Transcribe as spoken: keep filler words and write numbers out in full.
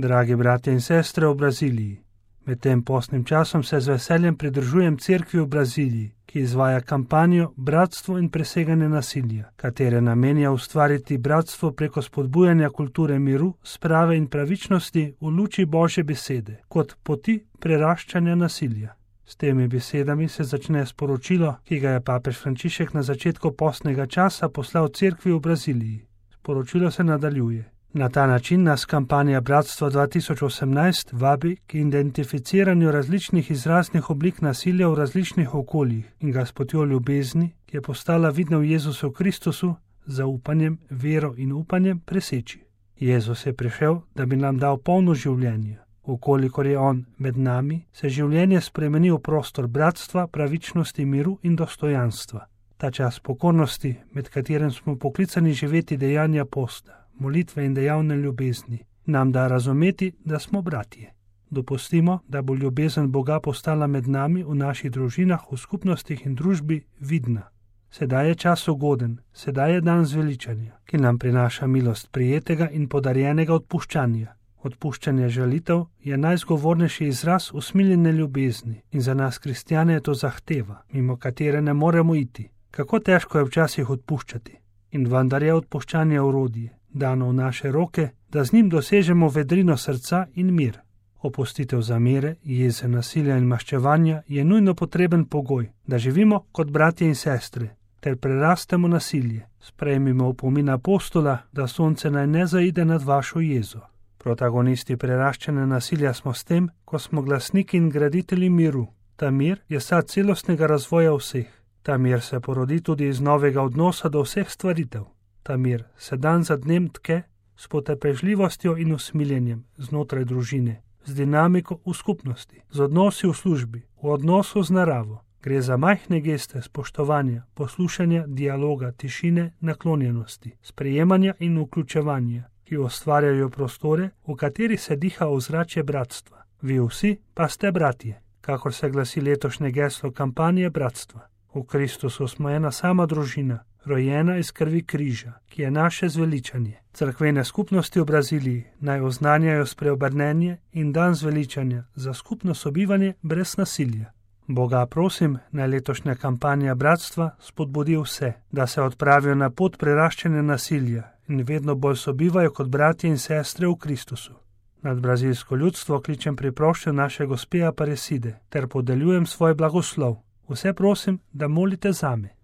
Dragi bratje in sestre v Braziliji, med tem postnim časom se z veseljem pridružujem cerkvi v Braziliji, ki izvaja kampanjo Bratstvo in preseganje nasilja, katere namen je ustvariti bratstvo preko spodbujanja kulture miru, sprave in pravičnosti v luči Božje besede, kot poti preraščanja nasilja. S temi besedami se začne sporočilo, ki ga je papež Frančišek na začetku postnega časa poslal cerkvi v Braziliji. Sporočilo se nadaljuje. Na ta način nas kampanja Bratstva dva tisoč osemnajst vabi k identificiranju različnih izraznih oblik nasilja v različnih okoljih in ga s potjo ljubezni, ki je postala vidna v Jezusu Kristusu, zaupanjem, vero in upanjem preseči. Jezus je prišel, da bi nam dal polno življenje. Ukolikor je On med nami, se življenje spremeni v prostor bratstva, pravičnosti, miru in dostojanstva. Ta čas pokornosti, med katerim smo poklicani živeti dejanja posta, molitve in dejavne ljubezni, nam da razumeti, da smo bratje. Dopustimo, da bo ljubezen Boga postala med nami v naših družinah, v skupnostih in družbi vidna. Sedaj je čas ugoden, sedaj je dan zveličanja, ki nam prinaša milost prijetega in podarjenega odpuščanja. Odpuščanje žalitev je najzgovornejši izraz usmiljene ljubezni in za nas kristjane je to zahteva, mimo katere ne moremo iti. Kako težko je včasih odpuščati. In vendar je odpuščanje orodje, dano v naše roke, da z njim dosežemo vedrino srca in mir. Opustitev zamere, jeze, nasilja in maščevanja je nujno potreben pogoj, da živimo kot bratje in sestre, ter prerastemo nasilje. Sprejmimo opomin apostola, da sonce naj ne zaide nad vašo jezo. Protagonisti preraščanja nasilja smo s tem, ko smo glasniki in graditelji miru. Ta mir je sad celostnega razvoja vseh. Ta mir se porodi tudi iz novega odnosa do vseh stvaritev. Ta mir se dan za dnem tke s potrpežljivostjo in usmiljenjem znotraj družine, z dinamiko v skupnosti, z odnosi v službi, v odnosu z naravo. Gre za majhne geste spoštovanja, poslušanja, dialoga, tišine, naklonjenosti, sprejemanja in vključevanja, ki ustvarjajo prostore, v kateri se diha ozračje bratstva. Vi vsi pa ste bratje, kakor se glasi letošnje geslo kampanje Bratstva. V Kristusu smo ena sama družina, rojena iz krvi križa, ki je naše zveličanje. Cerkvene skupnosti v Braziliji naj oznanjajo spreobrnenje in dan zveličanja za skupno sobivanje brez nasilja. Boga prosim, naj letošnja kampanja Bratstva spodbudi vse, da se odpravijo na pot preraščanja nasilja in vedno bolj sobivajo kot bratje in sestre v Kristusu. Nad brazilsko ljudstvo kličem priproščen naše gospe Aparecide ter podeljujem svoj blagoslov. Vse prosim, da molite zame.